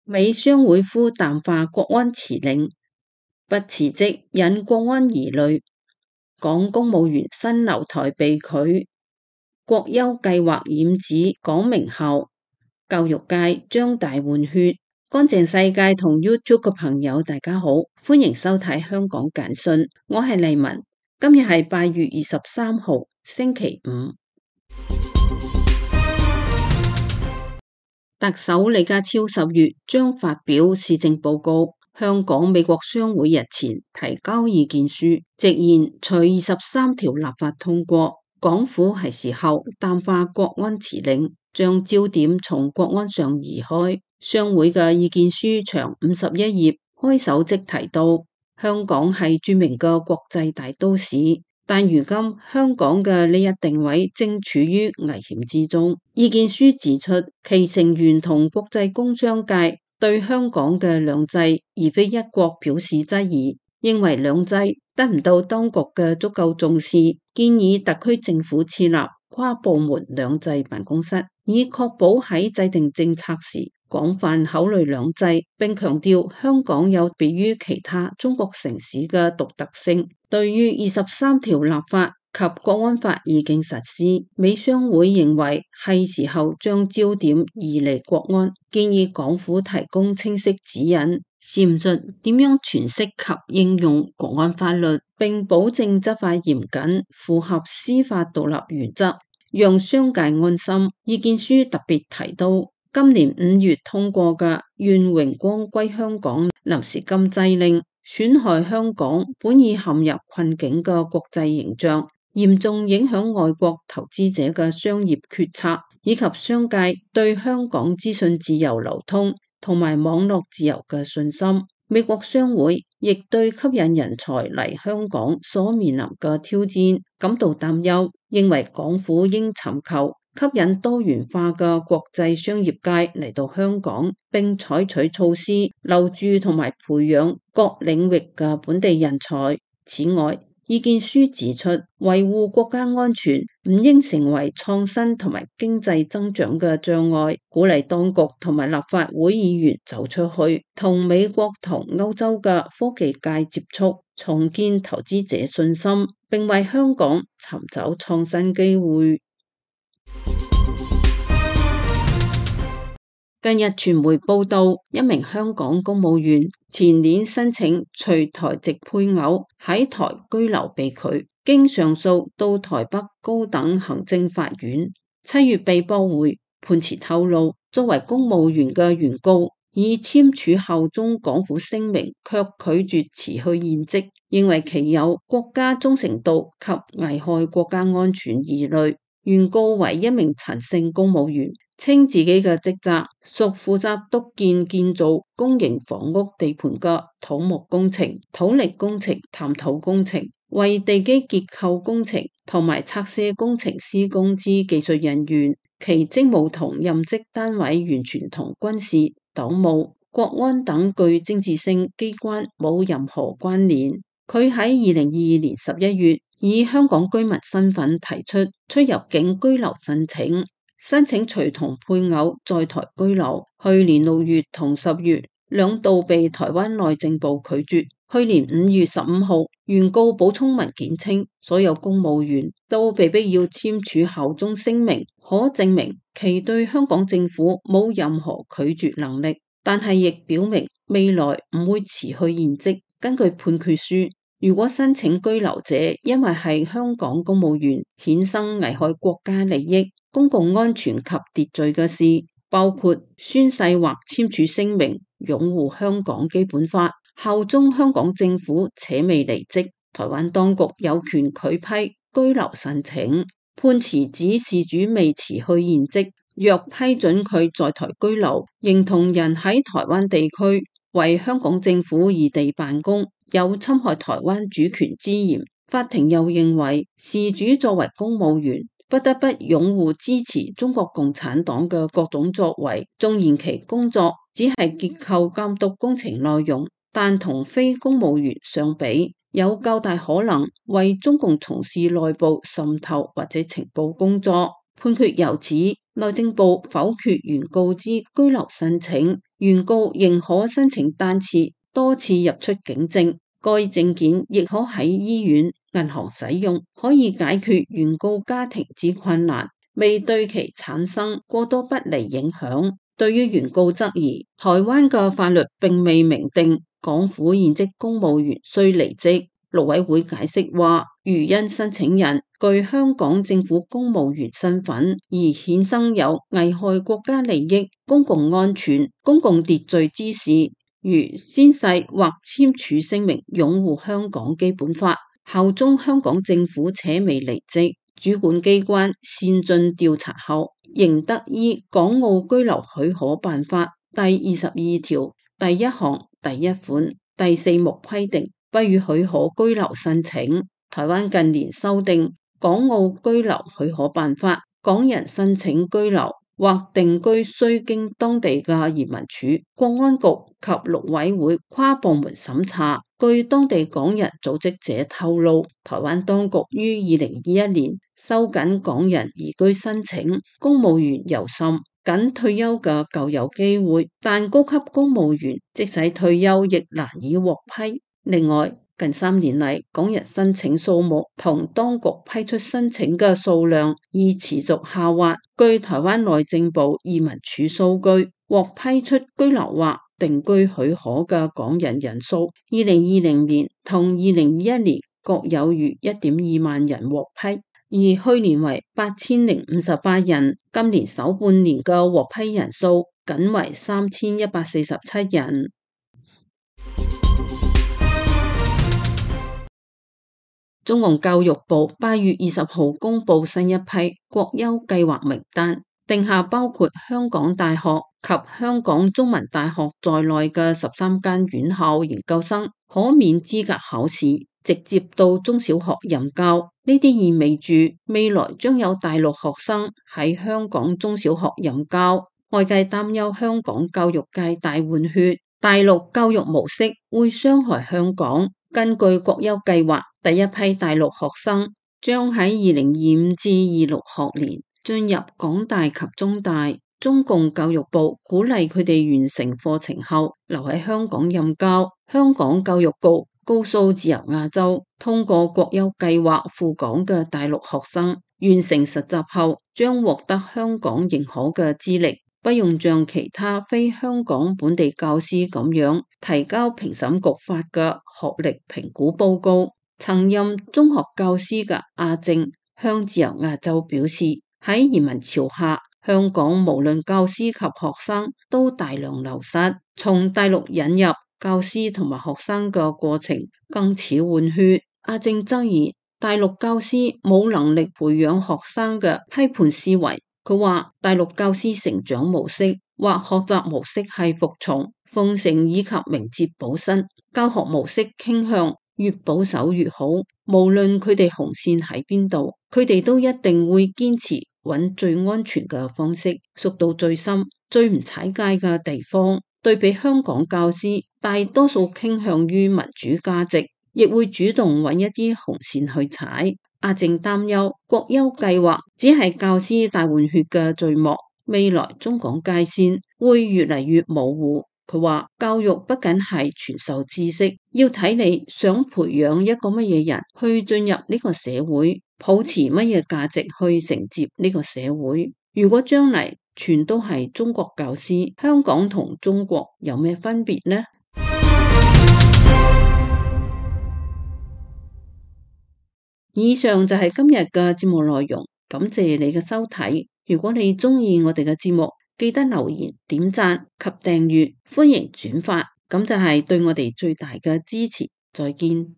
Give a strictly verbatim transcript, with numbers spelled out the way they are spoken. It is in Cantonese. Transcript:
美商會呼淡化國安辭令，不辭職引國安疑慮。港公務員新留台被拒，國優計劃染指港名校，教育界將大換血。乾淨世界同 YouTube 嘅朋友大家好，歡迎收睇香港簡訊，我係麗文。今日係八月二十三號星期五。特首李家超十月將發表施政報告，香港美國商會日前提交意見書，直言除二十三條立法通過，港府係時候淡化國安辭令，將焦點從國安上移開。商會嘅意見書長五十一頁，開首即提到香港係著名嘅國際大都市，但如今香港嘅呢一定位正處於危險之中。意見書指出，其成員同國際工商界對香港嘅兩制而非一國表示質疑，認為兩制得唔到當局嘅足夠重視，建議特區政府設立跨部門兩制辦公室，以確保喺制定政策時廣泛考慮兩制，並強調香港有別於其他中國城市嘅獨特性。對於二十三條立法及國安法已經實施，美商會認為係時候將焦點移離國安，建議港府提供清晰指引，闡述點樣詮釋及應用國安法律，並保證執法嚴謹，符合司法獨立原則，讓商界安心。意見書特別提到，今年五月通過嘅願榮光歸香港臨時禁制令，損害香港本已陷入困境嘅國際形象，嚴重影響外國投資者嘅商業決策，以及商界對香港資訊自由流通同埋網絡自由嘅信心。美國商會亦對吸引人才嚟香港所面臨嘅挑戰感到擔憂，認為港府應尋求吸引多元化嘅國際商業界嚟到香港，並採取措施留住同埋培養各領域嘅本地人才。此外，意見書指出，維護國家安全唔應成為創新同埋經濟增長嘅障礙，鼓勵當局同埋立法會議員走出去，同美國同歐洲嘅科技界接觸，重建投資者信心，並為香港尋找創新機會。近日傳媒報道，一名香港公務員前年申請隨台籍配偶喺台居留被拒，經上訴到台北高等行政法院，七月被駁回。判詞透露，作為公務員嘅原告已簽署效忠港府聲明，卻拒絕辭去現職，認為其有國家忠誠度及危害國家安全疑慮。原告為一名陳姓公務員，稱自己嘅職責屬負責督建建造公營房屋地盤嘅土木工程、土力工程、探土工程，為地基結構工程同埋拆卸工程施工之技術人員，其職務同任職單位完全同軍事、黨務、國安等具政治性機關冇任何關聯。佢喺二零二二年十一月以香港居民身份提出出入境居留申請，申請隨同配偶在台居留。去年六月同十月兩度被台灣內政部拒絕。去年五月十五號，原告補充文件稱，所有公務員都被逼要簽署效忠聲明，可證明其對香港政府冇任何拒絕能力，但係亦表明未來唔會辭去現職。根據判決書，如果申請居留者因為係香港公務員，衍生危害國家利益、公共安全及秩序嘅事，包括宣誓或簽署聲明擁護香港基本法、效忠香港政府且未離職，台灣當局有權拒批居留申請。判詞指事主未辭去現職，若批准佢在台居留，認同人喺台灣地區為香港政府異地辦公，有侵害台灣主權之嫌。法庭又認為，事主作為公務員，不得不擁護支持中國共產黨嘅各種作為，縱然其工作只係結構監督工程內容，但同非公務員相比，有較大可能為中共從事內部滲透或者情報工作。判決又指，內政部否決原告之居留申請，原告仍可申請單次、多次入出境證，該證件亦可喺醫院、銀行使用，可以解決原告家庭之困難，未對其產生過多不利影響。對於原告質疑，台灣嘅法律並未明定港府現職公務員需離職。陸委會解釋話，如因申請人具香港政府公務員身份而衍生有危害國家利益、公共安全、公共秩序之事，如宣誓或簽署聲明擁護香港基本法、效忠香港政府且未離職，主管機關善盡調查後，仍得依《港澳居留許可辦法》第二十二條第一項第一款第四目規定，不予許可居留申請。台灣近年修訂《港澳居留許可辦法》，港人申請居留或定居須經當地嘅移民署、國安局及陸委會跨部門審查。據當地港人組織者透露，台灣當局於二零二一年收緊港人移居申請，公務員尤甚，僅退休嘅較有機會，但高級公務員即使退休亦難以獲批。另外，近三年嚟，港人申請數目同當局批出申請嘅數量已持續下滑。據台灣內政部移民署數據，獲批出居留或定居許可嘅港人人數，二零二零年同二零二一年各有逾一點二萬人獲批，而去年為八千零五十八人，今年首半年嘅獲批人數僅為三千一百四十七人。中共教育部八月二十號公布新一批國優計劃名單，定下包括香港大學及香港中文大學在內嘅十三間院校研究生可免資格考試，直接到中小學任教。呢啲意味住未來將有大陸學生喺香港中小學任教。外界擔憂香港教育界大換血，大陸教育模式會傷害香港。根據國優計劃，第一批大陸學生將喺二零二五至二六學年進入港大及中大。中共教育部鼓勵佢哋完成課程後留喺香港任教。香港教育局告訴自由亞洲，通過國優計劃赴港嘅大陸學生完成實習後將獲得香港認可嘅資歷，不用像其他非香港本地教師咁樣提交評審局發嘅學歷評估報告。曾任中學教師嘅阿正向自由亞洲表示，喺移民潮下，香港無論教師及學生都大量流失，從大陸引入教師同埋學生嘅過程更似換血。阿正質疑大陸教師冇能力培養學生嘅批判思維。佢話大陸教師成長模式或學習模式係服從、奉承以及明哲保身，教學模式傾向越保守越好。無論佢哋紅線喺邊度，佢哋都一定會堅持揾最安全嘅方式，縮到最深、最唔踩界嘅地方。對比香港教師，大多數傾向於民主價值，亦會主動揾一啲紅線去踩。阿正擔憂國優計劃只係教師大換血嘅序幕，未來中港界線會越嚟越模糊。佢話教育不僅係傳授知識，要睇你想培養一個乜嘢人去進入呢個社會，抱持乜嘢價值去承接呢個社會。如果將嚟全都係中國教師，香港同中國有咩分別呢？以上就係今日嘅節目內容，感謝你嘅收睇。如果你鍾意我哋嘅節目，記得留言、點讚及訂閱，歡迎轉發，咁就係對我哋最大嘅支持。再見。